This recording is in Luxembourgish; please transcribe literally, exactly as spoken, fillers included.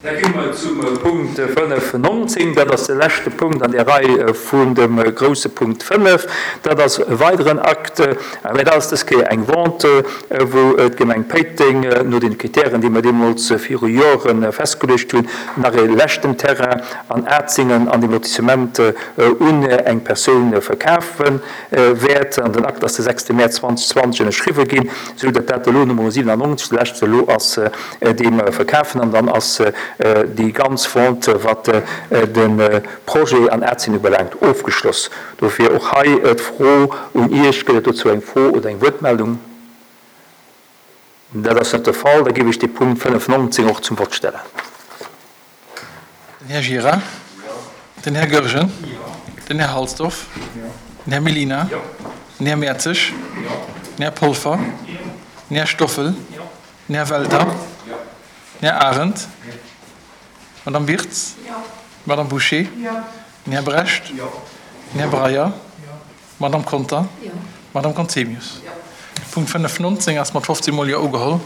Da gi mer zum Punkt fënnef nonzéng. Dat ass de leschte Punkt an der Rei vun dem grousse Punkt fënnef. Dat ass e weideren Akt, mä dat ass dës Kéier eng Vente, wou d'Gemeng Péiteng no den Kritären, déi mer deemools viru Jore festgeluecht hunn, nach e leschten Terrain an Atzingen an dem Lotissement un eng Persoun verkafe wäert. An den Akt ass de sechste Mäerz zweitausendzwanzeg ënnerschriwwe ginn, esou datt dat elo Nummer siwenannonzeg, de leschte elo ass, dee mer verkafen. An dann ass déi ganz Vente, wat de Projet an Atzingen ubelaangt, ofgeschloss. Dofir och hei d'Fro un Iech: Gëtt et dozou eng Fro oder eng Wuertmeldung? Dat ass net de Fall. Da géif ech de Punkt fënnef nonzéng och zum Vott stellen. Den Här Gira. Den Här Goergen. Den Här Halsdorf. Den Här Mellina. Den Här Mertzig. Den Här Polfer. Den Här Stoffel. Den Här Welter. Den Här Arendt. Madame Wirtz. Madame Bouché. Den Här Brecht. Den Här Breyer. Madame Conter. Madame Conzemius. De Punkt fënnef nonzéng ass mat fofzéng Mol Jo ugeholl.